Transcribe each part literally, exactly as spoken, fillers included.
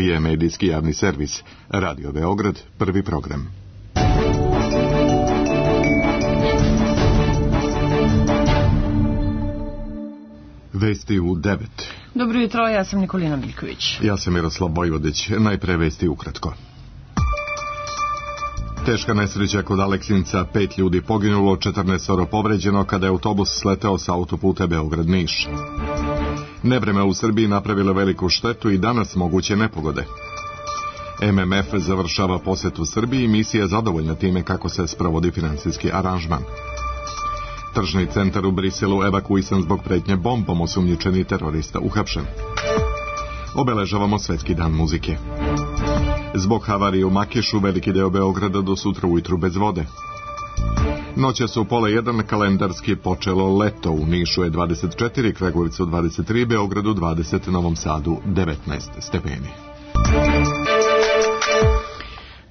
Srbije, medijski javni servis. Radio Beograd, prvi program. Vesti u devet. Dobro jutro, ja sam Nikolina Miljković. Ja sam Miroslav Vojvodić. Najpre vesti ukratko. Teška nesreća kod Aleksinca, pet ljudi poginulo, četrnaest povređeno kada je autobus sleteo sa autoputa Beograd-Niš. Nevreme u Srbiji napravilo veliku štetu i danas moguće nepogode. M M F završava posetu Srbiji i misija je zadovoljna time kako se sprovodi finansijski aranžman. Tržni centar u Briselu evakuisan zbog pretnje bombom, osumnjičeni terorista uhapšen. Obeležavamo Svetski dan muzike. Zbog havarije u Makišu veliki deo Beograda do sutra ujutru bez vode. Noćas u pola jedan kalendarski počelo leto. U Nišu je dvadeset četiri, Kragujevcu dvadeset tri, Beogradu dvadeset, Novom Sadu devetnaest stepeni.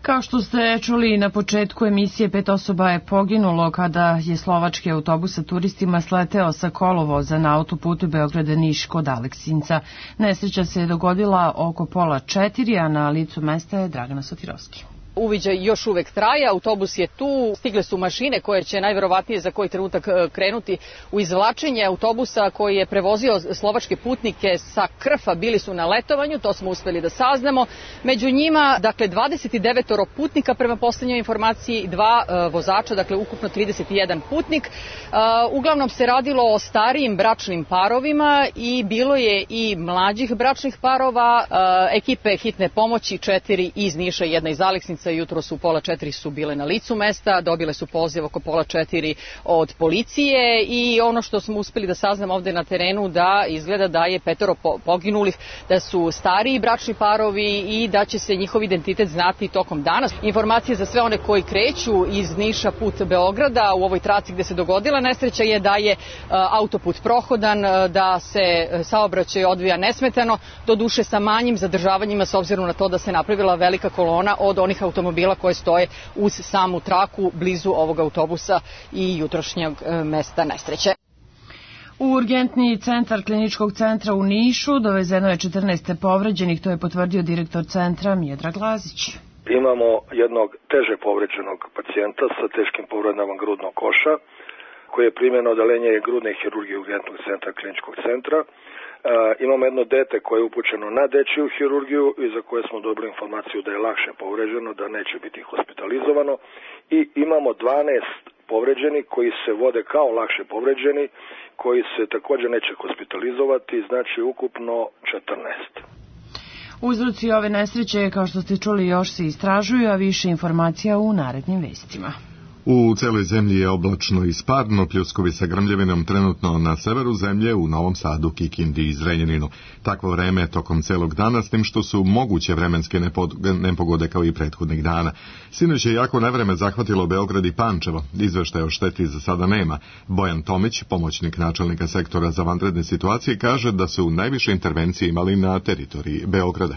Kao što ste čuli na početku emisije, pet osoba je poginulo kada je slovački autobus sa turistima sleteo sa kolovoza na autoputu Beograda-Niš kod Aleksinca. Nesreća se je dogodila oko pola četiri, a na licu mesta je Dragana Sotirovski. Uviđaj još uvek traje, autobus je tu, stigle su mašine koje će najverovatnije za koji trenutak krenuti u izvlačenje autobusa koji je prevozio slovačke putnike sa Krfa, bili su na letovanju, to smo uspeli da saznamo. Među njima, dakle, dvadeset devet putnika prema poslednjoj informaciji, dva uh, vozača, dakle ukupno trideset jedan putnik. Uh, uglavnom se radilo o starijim bračnim parovima i bilo je i mlađih bračnih parova, uh, ekipe hitne pomoći, četiri iz Niša, jedna iz Aleksinca. Jutro su pola četiri su bile na licu mesta, dobile su poziv oko pola četiri od policije i ono što smo uspeli da saznamo ovde na terenu da izgleda da je petoro poginulih, da su stariji bračni parovi i da će se njihov identitet znati tokom dana. Informacije za sve one koji kreću iz Niša put Beograda u ovoj traci gde se dogodila nesreća je da je autoput prohodan, da se saobraćaj odvija nesmetano, doduše sa manjim zadržavanjima s obzirom na to da se napravila velika kolona od onih automobila koje stoje uz samu traku blizu ovog autobusa i jutrošnjeg mesta nesreće. U urgentni centar kliničkog centra u Nišu dovezeno je četrnaest povređenih, to je potvrdio direktor centra Miodrag Lazić. Imamo jednog teže povređenog pacijenta sa teškim povredama grudnog koša koji je primljeno odeljenje grudne hirurgije urgentnog centra kliničkog centra. Uh, imamo jedno dete koje je upućeno na dečiju hirurgiju i za koje smo dobili informaciju da je lakše povređeno, da neće biti hospitalizovano, i imamo dvanaest povređeni koji se vode kao lakše povređeni, koji se također neće hospitalizovati, znači ukupno četrnaest. Uzroci ove nesreće, kao što ste čuli, još se istražuju, a više informacija u narednim vestima. U celoj zemlji je oblačno i sparno, pljuskovi sa grmljavinom trenutno na severu zemlje, u Novom Sadu, Kikindi i Zrenjaninu. Takvo vreme je tokom celog dana, s tim što su moguće vremenske nepogode kao i prethodnih dana. Sinoć je jako nevreme zahvatilo Beograd i Pančevo. Izveštaja o šteti za sada nema. Bojan Tomić, pomoćnik načelnika sektora za vanredne situacije, kaže da su najviše intervencije imali na teritoriji Beograda.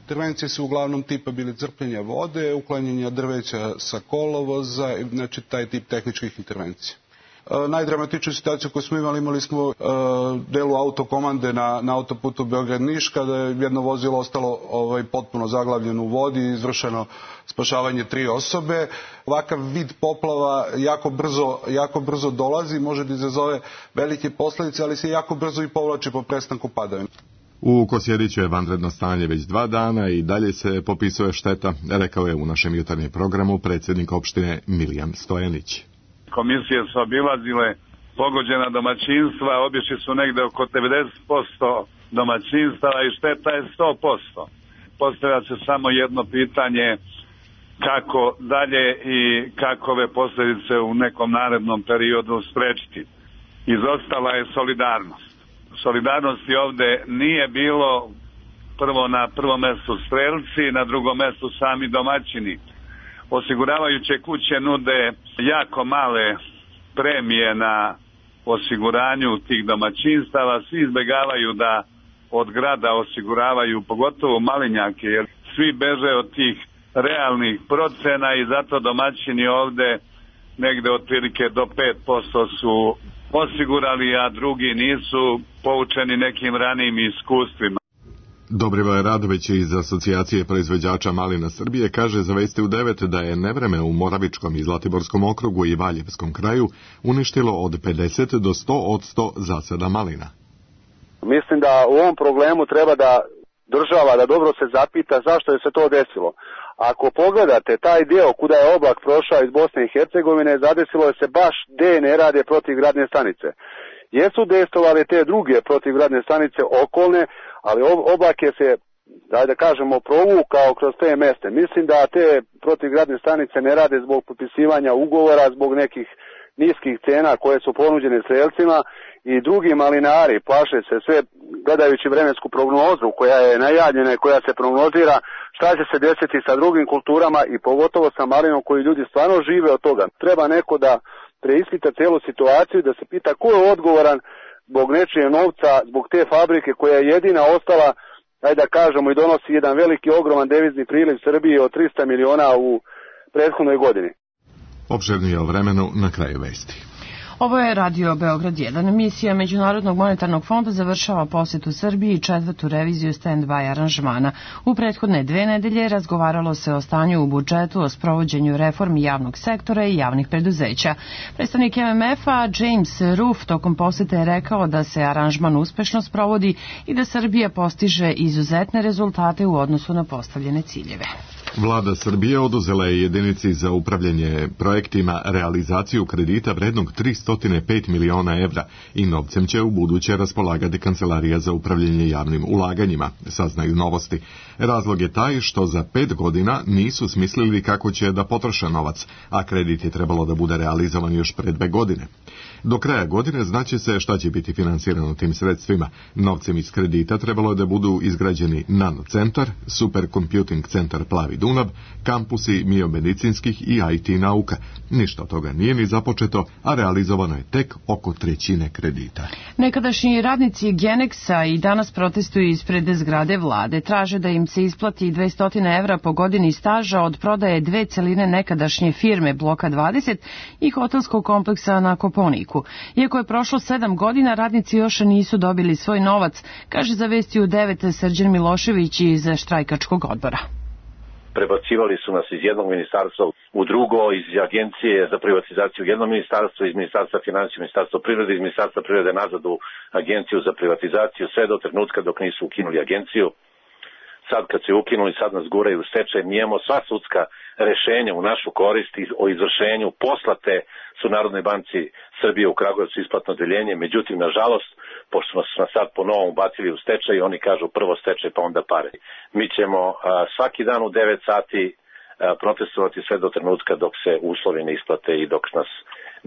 Intervencije su uglavnom tipa bili crpljenja vode, uklanjanja drveća sa kolovoza, znači taj tip tehničkih intervencija. E, najdramatičniju situaciju koju smo imali, imali smo e, delu autokomande na, na autoputu Beograd-Niš, kada je jedno vozilo ostalo ovaj, potpuno zaglavljeno u vodi i izvršeno spašavanje tri osobe. Ovakav vid poplava jako brzo, jako brzo dolazi, može da izazove velike posledice, ali se jako brzo i povlači po prestanku padavina. U Kosjeriću je vanredno stanje već dva dana i dalje se popisuje šteta, rekao je u našem jutarnjem programu predsjednik opštine Milijan Stojanić. Komisije su obilazile pogođena domaćinstva, obišli su negde oko devedeset posto domaćinstava i šteta je sto posto. Postavlja se samo jedno pitanje kako dalje i kakove posljedice u nekom narednom periodu sprečiti. Izostala je solidarnost. Solidarnosti ovde nije bilo, prvo na prvom mestu strelci, na drugom mestu sami domaćini. Osiguravajuće kuće nude jako male premije na osiguranju tih domaćinstava, svi izbegavaju da od grada osiguravaju, pogotovo malinjake, jer svi beže od tih realnih procena i zato domaćini ovde negde otprilike do pet posto su osigurali, a drugi nisu, poučeni nekim ranijim iskustvima. Dobrivoje Radović iz Asocijacije proizvođača malina Srbije kaže za Vesti u devet da je nevreme u Moravičkom i Zlatiborskom okrugu i Valjevskom kraju uništilo od pedeset do sto posto zasada malina. Mislim da u ovom problemu treba da država da dobro se zapita zašto je se to desilo. Ako pogledate taj deo kuda je oblak prošao iz Bosne i Hercegovine, zadesilo je se baš gde ne rade protivgradne stanice. Jesu destovali te druge protivgradne stanice okolne, ali oblak je se, daj da kažemo, provukao kroz te meste. Mislim da te protivgradne stanice ne rade zbog potpisivanja ugovora, zbog nekih niskih cena koje su ponuđene strelcima i drugi malinari plaše se sve gledajući vremensku prognozu koja je najavljena i koja se prognozira šta će se desiti sa drugim kulturama i pogotovo sa malinom koji ljudi stvarno žive od toga. Treba neko da preispita celu situaciju i da se pita ko je odgovoran zbog nečije novca, zbog te fabrike koja je jedina ostala, ajde da kažemo, i donosi jedan veliki ogroman devizni priliv Srbiji od trista miliona u prethodnoj godini. Opširnije o vremenu na kraju vesti. Ovo je Radio Beograd jedan. Misija Međunarodnog monetarnog fonda završava posjetu Srbiji i četvrtu reviziju stand-by aranžmana. U prethodne dve nedelje razgovaralo se o stanju u budžetu, o sprovođenju reformi javnog sektora i javnih preduzeća. Predstavnik M M F-a James Roof tokom posjete je rekao da se aranžman uspešno sprovodi i da Srbija postiže izuzetne rezultate u odnosu na postavljene ciljeve. Vlada Srbije oduzela je jedinici za upravljanje projektima realizaciju kredita vrednog tristo pet miliona evra i novcem će u buduće raspolagati Kancelarija za upravljanje javnim ulaganjima, saznaju Novosti. Razlog je taj što za pet godina nisu smislili kako će da potroše novac, a kredit je trebalo da bude realizovan još pre dve godine. Do kraja godine znaće se šta će biti finansirano tim sredstvima. Novcem iz kredita trebalo je da budu izgrađeni nanocentar, supercomputing centar Plavi Dunav, kampusi biomedicinskih i I T nauka. Ništa od toga nije ni započeto, a realizovano je tek oko trećine kredita. Nekadašnji radnici Genexa i danas protestuju ispred zgrade vlade. Traže da im se isplati dvesta evra po godini staža od prodaje dve celine nekadašnje firme Bloka dvadeset i hotelskog kompleksa na Koponiku. Iako je prošlo sedam godina, radnici još nisu dobili svoj novac, kaže za Vesti u devet Srđan Milošević iz štrajkačkog odbora. Prebacivali su nas iz jednog ministarstva u drugo, iz agencije za privatizaciju u jedno ministarstvo, iz ministarstva finansija, ministarstva privrede, iz ministarstva privrede nazad u agenciju za privatizaciju, sve do trenutka dok nisu ukinuli agenciju. Sad kad se ukinuli, sad nas guraju u stečaj. Mi imamo sva sudska rešenja u našu korist o izvršenju. Poslate su Narodnoj banci Srbije u Kragujevcu isplatno odeljenje, međutim, nažalost, pošto smo se sad po novom ubacili u stečaj, oni kažu prvo stečaj pa onda pare. Mi ćemo a, svaki dan u devet sati a, protestovati sve do trenutka dok se uslovi ne isplate i dok nas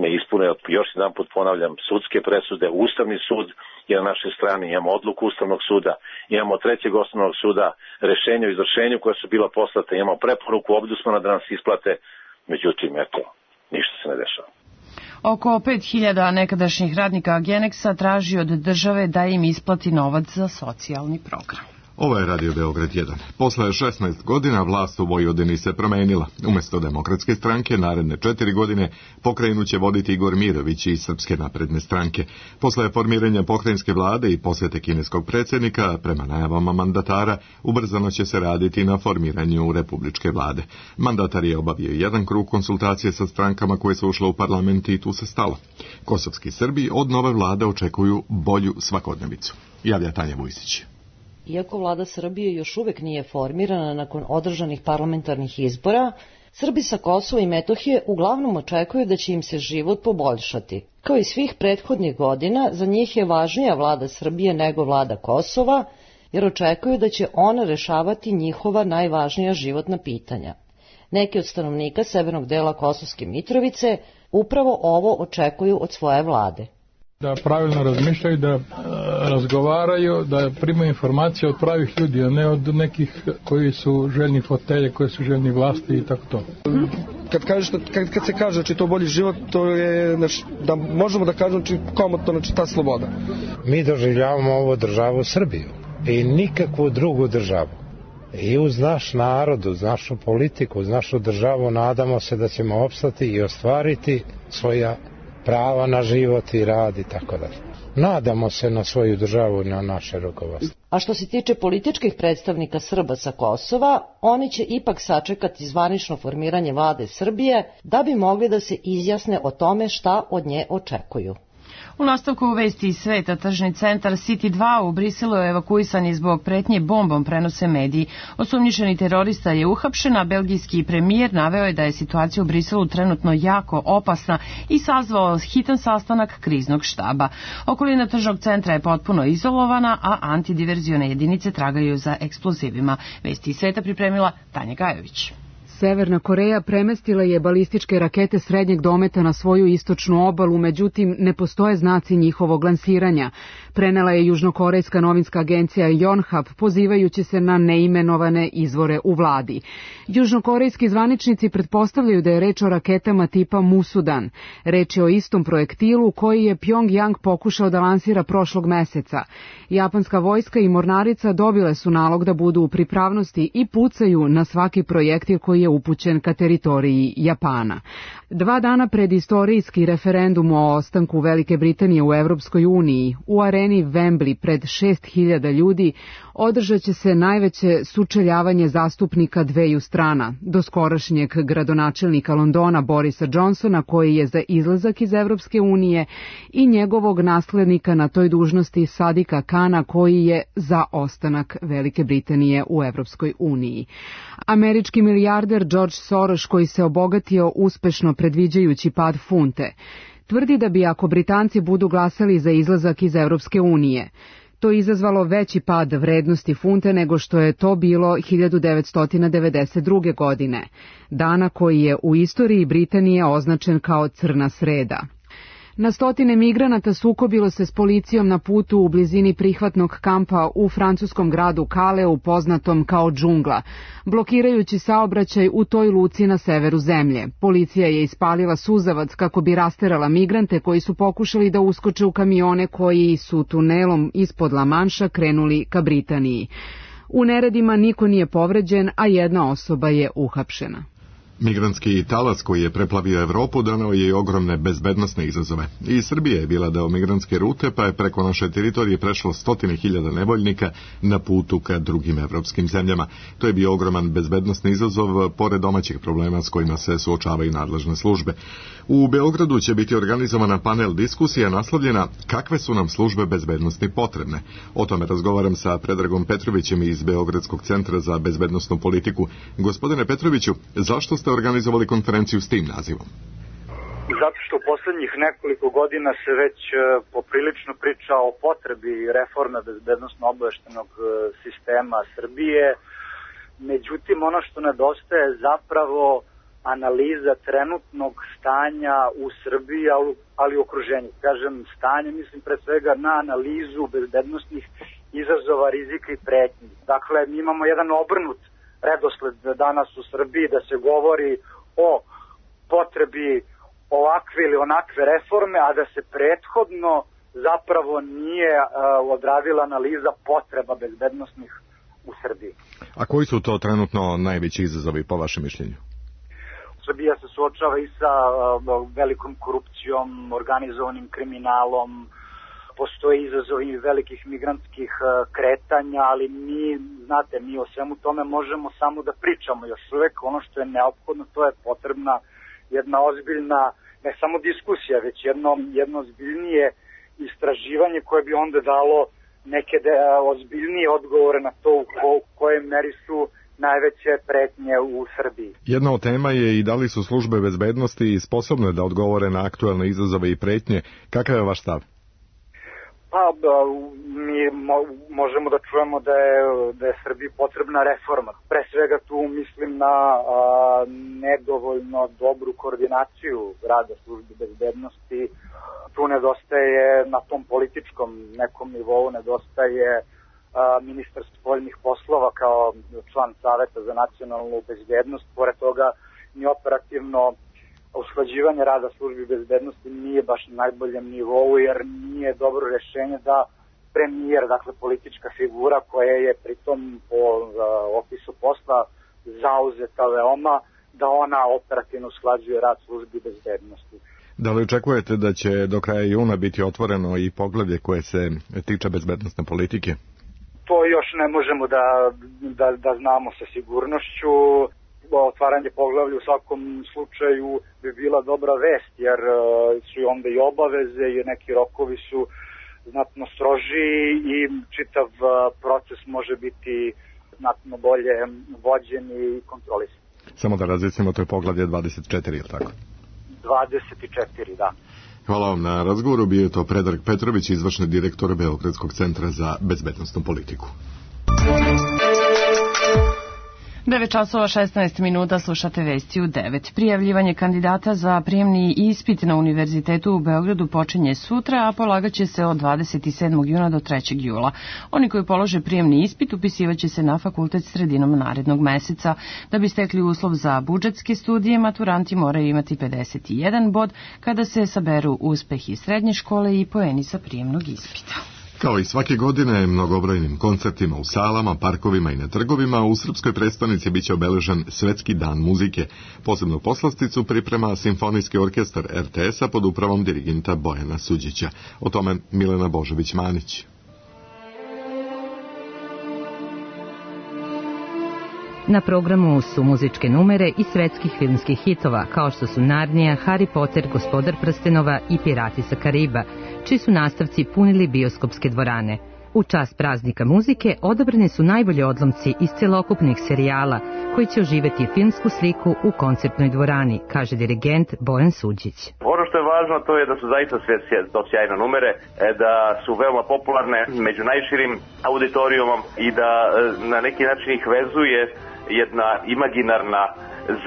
ne ispune. Još jedan put ponavljam, sudske presude, Ustavni sud je na našoj strani, imamo odluku Ustavnog suda, imamo trećeg osnovnog suda, rešenje o izvršenju koje su bila poslata, imamo preporuku Ombudsmana da nas isplate, međutim, eto, ništa se ne dešava. Oko pet hiljada nekadašnjih radnika Genexa traži od države da im isplati novac za socijalni program. Ovo je Radio Beograd jedan. Posle šesnaest godina vlast u Vojvodini se promenila. Umesto Demokratske stranke, naredne četiri godine pokrajinu će voditi Igor Mirović iz Srpske napredne stranke. Posle formiranja pokrajinske vlade i posjete kineskog predsjednika, prema najavama mandatara, ubrzano će se raditi na formiranju republičke vlade. Mandatar je obavio jedan krug konsultacije sa strankama koje su ušle u parlament i tu se stalo. Kosovski Srbi od nove vlade očekuju bolju svakodnevicu. Javlja Tanja Vujsić. Iako vlada Srbije još uvek nije formirana nakon održanih parlamentarnih izbora, Srbi sa Kosova i Metohije uglavnom očekuju da će im se život poboljšati. Kao i svih prethodnih godina, za njih je važnija vlada Srbije nego vlada Kosova, jer očekuju da će ona rešavati njihova najvažnija životna pitanja. Neki od stanovnika severnog dela Kosovske Mitrovice upravo ovo očekuju od svoje vlade. Da pravilno razmišljaju, da razgovaraju, da primaju informacije od pravih ljudi, a ne od nekih koji su željni fotelje, koji su željni vlasti i tako to. Kad, kažeš, kad, kad se kaže znači, to bolji život, to je znači, da možemo da kažemo znači, komotno znači, ta sloboda. Mi doživljavamo ovu državu Srbiju i nikakvu drugu državu. I uz naš narod, uz našu politiku, uz našu državu nadamo se da ćemo opstati i ostvariti svoja prava na život i rad i tako dalje. Nadamo se na svoju državu i na naše rukovodstvo. A što se tiče političkih predstavnika Srba sa Kosova, oni će ipak sačekati zvanično formiranje vlade Srbije da bi mogli da se izjasne o tome šta od nje očekuju. U nastavku vesti iz sveta, tržni centar City dva u Briselu je evakuisan i zbog pretnje bombom, prenose mediji. Osumnjičeni terorista je uhapšen, a belgijski premijer naveo je da je situacija u Briselu trenutno jako opasna i sazvao hitan sastanak kriznog štaba. Okolina tržnog centra je potpuno izolovana, a antidiverzione jedinice tragaju za eksplozivima. Vesti iz sveta pripremila Tanja Gajović. Severna Koreja premestila je balističke rakete srednjeg dometa na svoju istočnu obalu, međutim ne postoje znaci njihovog lansiranja. Prenela je južnokorejska novinska agencija Yonhap, pozivajući se na neimenovane izvore u vladi. Južnokorejski zvaničnici pretpostavljaju da je reč o raketama tipa Musudan. Reč je o istom projektilu koji je Pyongyang pokušao da lansira prošlog meseca. Japanska vojska i mornarica dobile su nalog da budu u pripravnosti i pucaju na svaki projektil koji je upućen ka teritoriji Japana. Dva dana pred istorijski referendum o ostanku Velike Britanije u Evropskoj uniji, u areni Wembley pred šest hiljada ljudi održat će se najveće sučeljavanje zastupnika dveju strana, doskorašnjeg gradonačelnika Londona Borisa Johnsona, koji je za izlazak iz Evropske unije, i njegovog naslednika na toj dužnosti Sadika Kana, koji je za ostanak Velike Britanije u Evropskoj uniji. Američki milijarder George Soros, koji se obogatio uspešno predviđajući pad funte, tvrdi da bi ako Britanci budu glasali za izlazak iz Evropske unije, to izazvalo veći pad vrednosti funte nego što je to bilo hiljadu devetsto devedeset druge. godine, dana koji je u istoriji Britanije označen kao crna sreda. Na stotine migranata sukobilo se s policijom na putu u blizini prihvatnog kampa u francuskom gradu Kaleu, poznatom kao džungla, blokirajući saobraćaj u toj luci na severu zemlje. Policija je ispalila suzavac kako bi rasterala migrante koji su pokušali da uskoče u kamione koji su tunelom ispod La Manša krenuli ka Britaniji. U neredima niko nije povređen, a jedna osoba je uhapšena. Migrantski talas koji je preplavio Evropu doneo je i ogromne bezbednosne izazove. I Srbija je bila deo migrantske rute, pa je preko naše teritorije prešlo stotine hiljada nevoljnika na putu ka drugim evropskim zemljama. To je bio ogroman bezbednosni izazov, pored domaćih problema s kojima se suočavaju nadležne službe. U Beogradu će biti organizovana panel diskusija naslovljena Kakve su nam službe bezbednosti potrebne. O tome razgovaram sa Predragom Petrovićem iz Beogradskog centra za bezbednosnu politiku. Gospodine Petroviću, zašto ste organizovali konferenciju s tim nazivom? Zato što u poslednjih nekoliko godina se već poprilično priča o potrebi reforme bezbednosno-obaveštajnog sistema Srbije. Međutim, ono što nedostaje je zapravo analiza trenutnog stanja u Srbiji, ali i okruženju. Kažem stanje, mislim pre svega na analizu bezbednosnih izazova, rizika i pretnji. Dakle, mi imamo jedan obrnut redosled danas u Srbiji da se govori o potrebi ovakve ili onakve reforme, a da se prethodno zapravo nije uh, odradila analiza potreba bezbednosnih u Srbiji. A koji su to trenutno najveći izazovi po vašem mišljenju? Srbija se suočava i sa uh, velikom korupcijom, organizovanim kriminalom, postoje izazovi velikih migrantskih kretanja, ali mi, znate, mi o svemu tome možemo samo da pričamo još uvek. Ono što je neophodno, to je potrebna jedna ozbiljna, ne samo diskusija, već jedno, jedno ozbiljnije istraživanje koje bi onda dalo neke de, ozbiljnije odgovore na to u ko, koje meri su najveće pretnje u Srbiji. Jedna od tema je i da li su službe bezbednosti sposobne da odgovore na aktuelne izazove i pretnje. Kakav je vaš stav? Pa, mi mo, možemo da čujemo da je, da je Srbiji potrebna reforma. Pre svega tu mislim na a, nedovoljno dobru koordinaciju rada službi bezbednosti. Tu nedostaje na tom političkom nekom nivou, nedostaje a, ministar spoljnih poslova kao član Saveta za nacionalnu bezbednost. Pored toga ni operativno usklađivanje rada službi bezbednosti nije baš na najboljem nivou, jer nije dobro rešenje da premijer, dakle politička figura koja je pritom po uh, opisu posla zauzeta veoma, da ona operativno usklađuje rad službi bezbednosti. Da li očekujete da će do kraja juna biti otvoreno i poglavlje koje se tiče bezbednosne politike? To još ne možemo da, da, da znamo sa sigurnošću. Otvaranje poglavlja u svakom slučaju bi bila dobra vest, jer su onda i obaveze i neki rokovi su znatno strožiji i čitav proces može biti znatno bolje vođen i kontrolisan. Samo da razjasnimo, to je poglavlje dvadeset četiri, je li tako? dvadeset četiri, da. Hvala vam na razgovoru. Bio je to Predrag Petrović, izvršni direktor Beogradskog centra za bezbednosnu politiku. devet časova šesnaest minuta, slušate vesti u devet. Prijavljivanje kandidata za prijemni ispit na Univerzitetu u Beogradu počinje sutra, a polagaće se od dvadeset sedmog juna do trećeg jula. Oni koji polože prijemni ispit upisivaće se na fakultet sredinom narednog meseca. Da bi stekli uslov za budžetske studije, maturanti moraju imati pedeset jedan bod kada se saberu uspehi srednje škole i poeni sa prijemnog ispita. Kao i svake godine, mnogobrojnim koncertima u salama, parkovima i na trgovima, u srpskoj prestonici biće obeležen Svetski dan muzike. Posebnu poslasticu priprema Simfonijski orkestar er te es-a pod upravom dirigenta Bojana Suđića. O tome Milena Božović-Manić. Na programu su muzičke numere i svetskih filmskih hitova, kao što su Narnija, Harry Potter, Gospodar prstenova i Pirati sa Kariba, čiji su nastavci punili bioskopske dvorane. U čast praznika muzike odabrani su najbolji odlomci iz celokupnih serijala, koji će oživeti filmsku sliku u koncertnoj dvorani, kaže dirigent Bojan Suđić. Ono što je važno to je da su zaista sve to sjajne numere, da su veoma popularne među najširim auditorijumom i da na neki način ih vezuje jedna imaginarna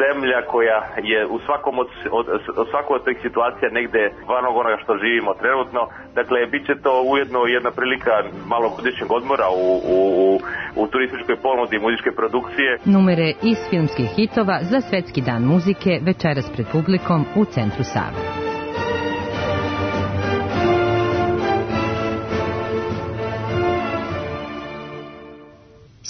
zemlja koja je u svakom od, od, od svakoj od tih situacija negde van onoga što živimo trenutno. Dakle, bit će to ujedno jedna prilika malogodišnjeg odmora u, u, u turističkoj ponudi muzičke produkcije. Numere iz filmskih hitova za Svetski dan muzike večeras pred publikom u centru Save.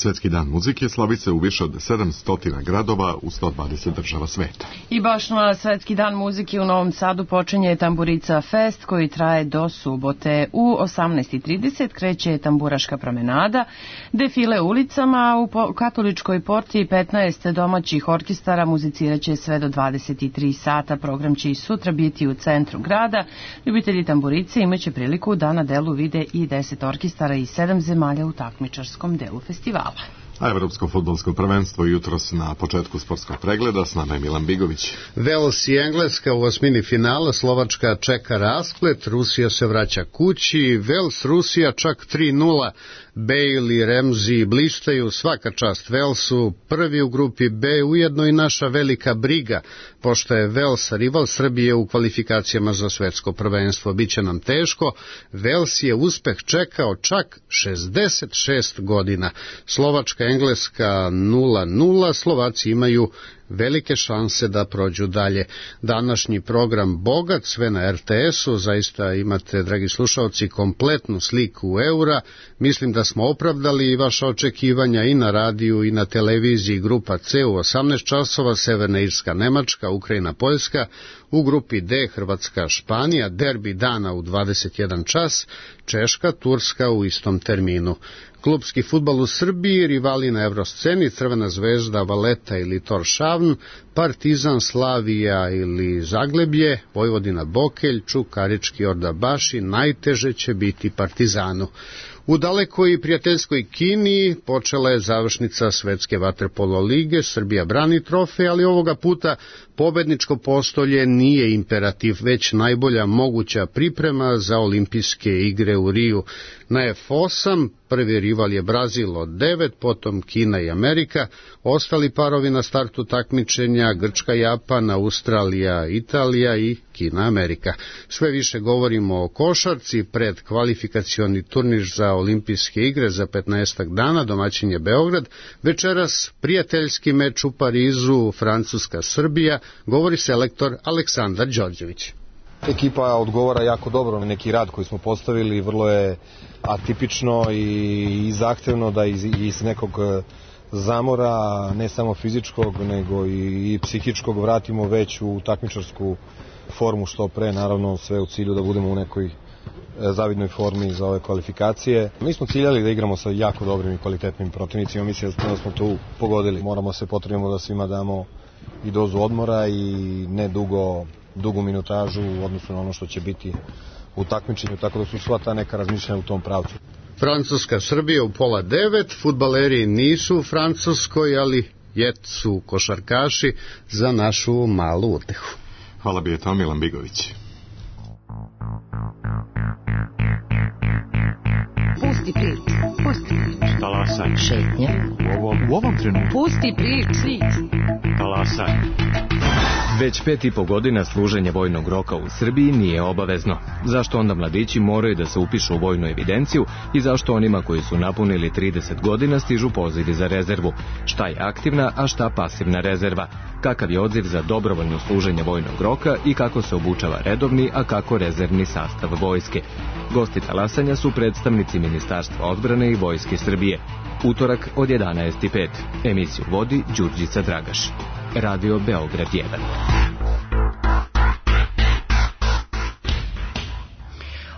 Svetski dan muzike slavi se u više od sedamsto gradova u sto dvadeset država sveta. I baš na Svetski dan muzike u Novom Sadu počinje Tamburica Fest koji traje do subote. U osamnaest i trideset kreće tamburaška promenada, defile ulicama, u Katoličkoj porti petnaest domaćih orkestara muziciraće sve do dvadeset tri sata. Program će i sutra biti u centru grada. Ljubitelji tamburice imaće priliku da na delu vide i deset orkestara iz sedam zemalja u takmičarskom delu festivala. A evropsko fudbalsko prvenstvo jutros na početku sportskog pregleda, s nama je Milan Bigović. Vels i Engleska u osmini finala, Slovačka čeka rasplet, Rusija se vraća kući, Vels Rusija čak tri nula, Bale i Ramsey blištaju, svaka čast Velsu, prvi u grupi B, ujedno i naša velika briga, pošto je Vels rival Srbije u kvalifikacijama za svetsko prvenstvo. Biće nam teško, Vels je uspeh čekao čak šezdeset šest godina. Slovačka Engleska nula nula, Slovaci imaju velike šanse da prođu dalje. Današnji program bogat, sve na er te es-u, zaista imate, dragi slušalci, kompletnu sliku eura. Mislim da smo opravdali vaša očekivanja i na radiju i na televiziji. Grupa C u osamnaest časova, Severna Irska, Nemačka, Ukrajina, Poljska, u grupi D Hrvatska, Španija, derbi dana u dvadeset jedan čas, Češka, Turska u istom terminu. Klubski fudbal u Srbiji, rivali na evrosceni, Crvena zvezda, Valeta ili Toršavn, Partizan, Slavija ili Zagleblje, Vojvodina, Bokelj, Čukarički, Ordabaši, najteže će biti Partizanu. U dalekoj i prijateljskoj Kini počela je završnica Svetske vaterpolo lige, Srbija brani trofej, ali ovoga puta pobedničko postolje nije imperativ, već najbolja moguća priprema za olimpijske igre u Riju. Na ef osam prvi rival je Brazil od devet, potom Kina i Amerika, ostali parovi na startu takmičenja Grčka, Japan, Australija, Italija i Kina, Amerika. Sve više govorimo o košarci, pred kvalifikacioni turnir za olimpijske igre za petnaestak dana, domaćin je Beograd. Večeras prijateljski meč u Parizu, Francuska, Srbija, govori selektor Aleksandar Đorđević. Ekipa odgovara jako dobro na neki rad koji smo postavili, vrlo je atipično i, i zahtevno da iz, iz nekog zamora, ne samo fizičkog, nego i, i psihičkog, vratimo već u takmičarsku formu što pre, naravno sve u cilju da budemo u nekoj zavidnoj formi za ove kvalifikacije. Mi smo ciljali da igramo sa jako dobrim i kvalitetnim protivnicima, mislim da smo tu pogodili. Moramo se potrudimo da svima damo i dozu odmora i ne dugo, dugu minutažu u odnosu na ono što će biti u takmičenju, tako da su sva ta neka razmišljanja u tom pravcu. Francuska Srbija u pola devet, fudbaleri nisu u Francuskoj, ali jesu košarkaši za našu malu utehu. Hvala bi je to Milan Bigović. Pusti priču, pusti priču. Talasaj. Šetnja. U ovom, u ovom trenutku. Pusti priču. Talasaj. Već pet i po godina služenje vojnog roka u Srbiji nije obavezno. Zašto onda mladići moraju da se upišu u vojnu evidenciju i zašto onima koji su napunili trideset godina stižu pozivi za rezervu? Šta je aktivna, a šta pasivna rezerva? Kakav je odziv za dobrovoljno služenje vojnog roka i kako se obučava redovni, a kako rezervni sastav vojske? Gosti talasanja su predstavnici Ministarstva odbrane i Vojske Srbije. Utorak od jedanaest i pet. Emisiju vodi Đurđica Dragaš. Radio Beograd jedan.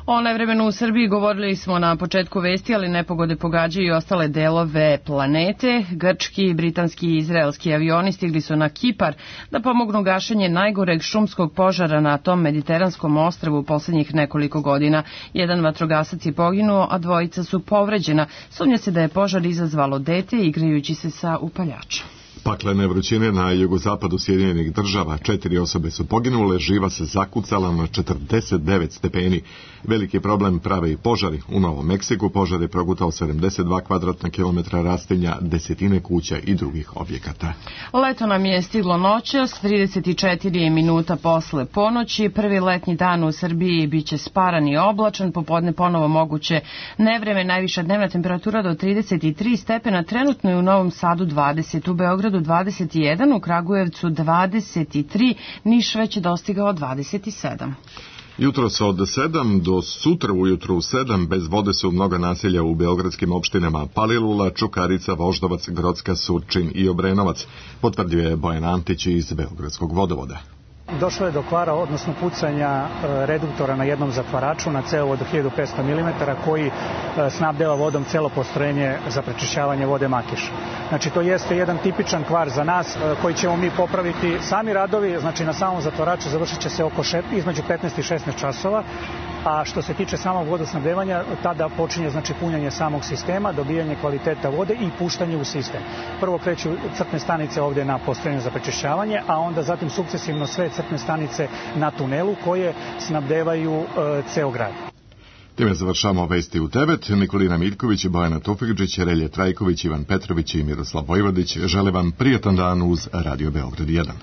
O nevremenu u Srbiji govorili smo na početku vesti, ali nepogode pogađaju i ostale delove planete. Grčki, britanski i izraelski avioni stigli su na Kipar da pomognu gašenje najgoreg šumskog požara na tom mediteranskom ostrvu u poslednjih nekoliko godina. Jedan vatrogasac je poginuo, a dvojica su povređena. Sumnja se da je požar izazvalo dete igrajući se sa upaljačem. Paklene vrućine na jugozapadu Sjedinjenih država, četiri osobe su poginule, živa se zakucala na četrdeset devet stepeni. Veliki problem prave i požari. U Novom Meksiku požar je progutao sedamdeset dva kvadratna kilometra rastinja, desetine kuća i drugih objekata. Leto nam je stiglo noćas, trideset četiri minuta posle ponoći. Prvi letnji dan u Srbiji biće sparan i oblačan, popodne ponovo moguće nevreme, najviša dnevna temperatura do trideset tri stepena, trenutno je u Novom Sadu dvadeset, u Beogradu dvadeset jedan, u Kragujevcu dvadeset tri, Niš već je dostigao dvadeset sedam. Jutros od sedam do sutra ujutru u sedam bez vode su mnoga naselja u beogradskim opštinama Palilula, Čukarica, Voždovac, Grocka, Surčin i Obrenovac, potvrdio je Bojan Antić iz Beogradskog vodovoda. Došlo je do kvara, odnosno pucanja reduktora na jednom zatvaraču na cevovod od hiljadu petsto milimetara koji snabdeva vodom celo postrojenje za prečišćavanje vode Makiš. Znači to jeste jedan tipičan kvar za nas koji ćemo mi popraviti. Sami radovi, znači na samom zatvaraču završit će se oko šest, između petnaest i šesnaest časova, a što se tiče samog vodosnabdevanja, tada počinje znači punjanje samog sistema, dobijanje kvaliteta vode i puštanje u sistem. Prvo kreću crpne stanice ovdje na postrojenju za prečišćavanje, a onda zatim sukcesivno sve crpne stanice na tunelu koje snabdevaju e, ceo grad. Time završamo vesti u devet. Nikolina Miljković, Bojana Tufekđić, Relje Trajković, Ivan Petrović i Miroslav Vojvodić žele vam prijatan dan uz Radio Beograd jedan.